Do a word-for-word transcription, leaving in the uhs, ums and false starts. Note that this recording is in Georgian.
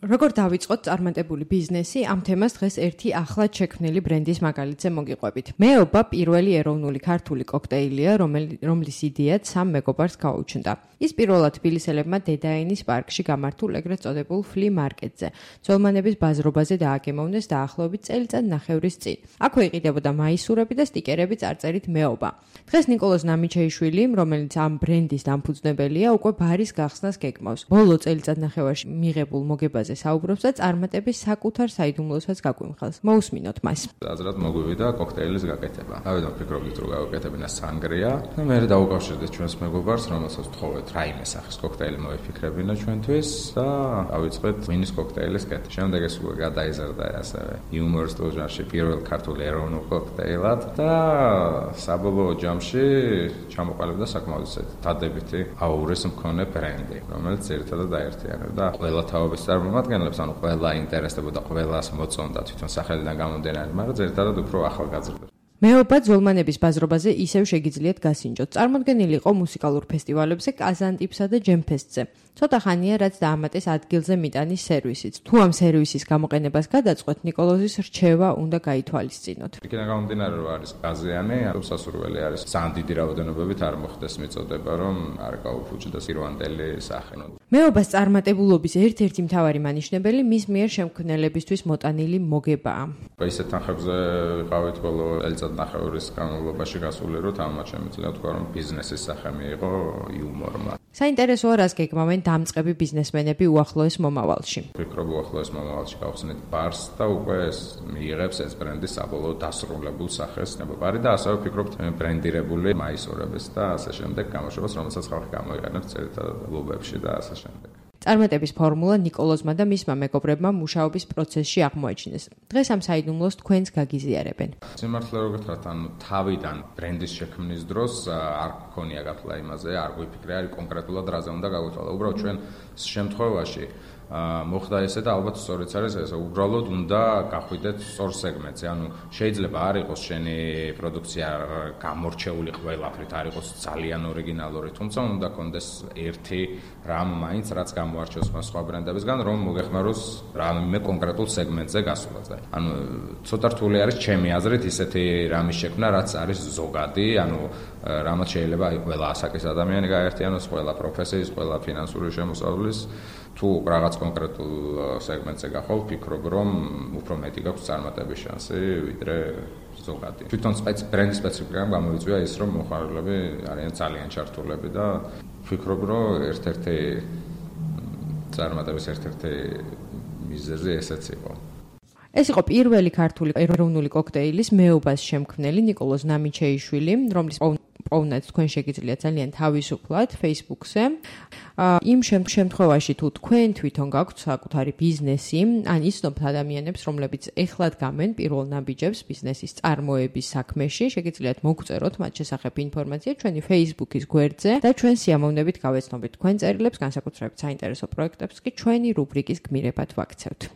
როგორ დავიწყოთ წარმატებული ბიზნესი? ამ თემას დღეს ერთი ახლად შექმნილი ბრენდის მაგალითზე მოგიყვებით. მეობა პირველი ეროვნული ქართული კოქტეილია, რომლის იდეაც სამ მეგობარს გაუჩნდა. ის პირველად თბილისელებმა დედაენის პარკში გამართულ ეგრეთ წოდებულ ფლი მარკეტზე, ძველმანების ბაზრობაზე დააგემოვნეს დაახლოებით წელიწად ნახევრის წინ. აქვე იყიდებოდა მაისურები და სტიკერები წარწერით მეობა. დღეს ნიკოლოზ ნამიჩეიშვილი, რომელიც ამ ბრენდის დამფუძნებელია, უკვე ბარის გახსნას გეგმავს. ბოლო წელიწად ნახევარში მიღებულ მოგებაზე საუბრობს და წარმატების საკუთარ საიდუმლოსაც გაგვიმხელს. მოусმინოთ მას. აზრად მოგვივიდა კოქტეილის გაკეთება. ავედან ფიქრობდით რომ გავაკეთებინა სანგრია და მე დავუკავშირდით ჩვენს მეგობარს, რომელსაც ვთხოვეთ რაიმე სახის კოქტეილი მოიფიქრებინა ჩვენთვის და დავიწყეთ ღვინის კოქტეილის კეთება. შემდეგ ეს უკვე გადაიზარდა ასევე იუმორ სტილ ჟანრში პირველ ქართულ ეროვნულ კოქტეილად და საბოლოო ჯამში ჩამოყალიბდა საკმაოდ დადებითი აურის მქონე ბრენდი, რომელიც ერთადად დაერთიანებდა ყველა თაობის წარმომადგენლებს, ანუ ყველა ინტერესდებოდა, ყველას მოწონდა თვითონ სახელიდან გამომდინარე, მაგრამ ერთადად უფრო ახალგაზრდებს. მეობა ძველმანების ბაზრობაზე ისევ შეგიძლიათ გასინჯოთ. წარმოდგენილი იყო მუსიკალურ ფესტივალებზე, კაზანტიპსა და ჯემფესტზე. ცოტა ხანია, რაც დაამატეს ადგილზე მიტანის სერვისიც. თუ ამ სერვისის გამოყენებას გადაწყვეტ, ნიკოლოზის რჩევა უნდა გაითვალისწინოთ. იქიდან გამომდინარე, რომ არის გაზიანი, სასურველი არის ძალიან დიდი რაოდენობებით არ მოხდეს მიწოდება, რომ არ გაუფუჭდეს ირვანდელი სახე. მეობას წარმატებულობის ერთ-ერთი მთავარი მანიშნებელი მის მიერ შემქმნელებისთვის მოტანილი მოგებაა. ისეთ თანხებზე ვიყავით ბოლო წელიწად ნახევრის განმავლობაში გასული, რომ თამამად შემიძლია თქვა, რომ ბიზნესის სახე მიიღო იუმორმა. საინტერესოა, რას გეგმავენ დამწყები ბიზნესმენები უახლოეს მომავალში. ვფიქრობ, უახლოეს მომავალში გავხსნით ბარს და უკვე ეს მიიღებს ეს ბრენდი საბოლოო დასრულებულ სახეს. ნებობარი და ასევე ვფიქრობთ ბრენდირებული მაისურების და ასე შემდეგ გამოშვებას, რომელსაც ხალხი გამოიყენებს ძირითადად კლუბებში და ასე შემდეგ. წარმატების ფორმულა ნიკოლოზმა და მისმა მეგობრებმა მუშაობის პროცესში აღმოაჩინეს. დღეს ამ საიდუმლოს თქვენს გაგიზიარებენ. სიმართლე რო გითხრათ, ანუ თავიდან ბრენდის შექმნის დროს არ გქონია გათვლა იმაზე, არ გვიფიქრე არის კონკრეტულად რაზე უნდა გავითვალო. უბრალოდ ჩვენ შემთხვევაში მოხდა ესე და ალბათ სწორიც არის ესე, უბრალოდ უნდა გახვიდეთ სწორ სეგმენტზე. ანუ შეიძლება არ იყოს შენი პროდუქცია გამორჩეული ყველაფრით, არ იყოს ძალიან ორიგინალური, თუმცა უნდა კონდეს ერთი რამ მაინც, რაც გამოარჩევს სხვა ბრენდებისგან, რომ მოგეხმაროს რამე კონკრეტულ სეგმენტზე გასვლაზე. ანუ ცოტა რთული არის ჩემი აზრით ისეთი რამის შექმნა, რაც არის ზოგადი, ანუ რამაც შეიძლება ყველა ასაკის ადამიანი გაერთიანოს, ყველა პროფესიის, ყველა ფინანსური შემოსავლის. თუ რაღაც კონკრეტულ სეგმენტზე გახვალ, ვფიქრობ, რომ უფრო მეტი გაქვს წარმატების შანსი, ვიდრე ზოგადი. თვითონ ბრენდის სპეციფიკამ გამოვიწვია ის, რომ მოხარებლები არიან ძალიან ჩართულები და ვფიქრობ, რომ ერთ-ერთი წარმატების ერთ-ერთი მიზეზი ესეც იყო. ეს იყო პირველი ქართული ეროვნული კოქტეილის მეობას შემქმნელი ნიკოლოზ ნამიჩეიშვილი, რომლის პოვნაც თქვენ შეგიძლიათ ძალიან თავისუფლად Facebook-ზე. იმ შემთხვევაში თუ თქვენ თვითონ გაქვთ საკუთარი ბიზნესი, ან იცნობთ ადამიანებს, რომლებიც ეხლად გამენ პირველ ნაბიჯებს ბიზნესის წარმოების საქმეში, შეგიძლიათ მოგწეროთ მათ შესახებ ინფორმაცია ჩვენი Facebook-ის გვერდზე და ჩვენ სიამოვნებით გავეცნობით თქვენ წერილებს, განსაკუთრებით საინტერესო პროექტებს კი ჩვენი რუბრიკის გმირებად ვაქცევთ.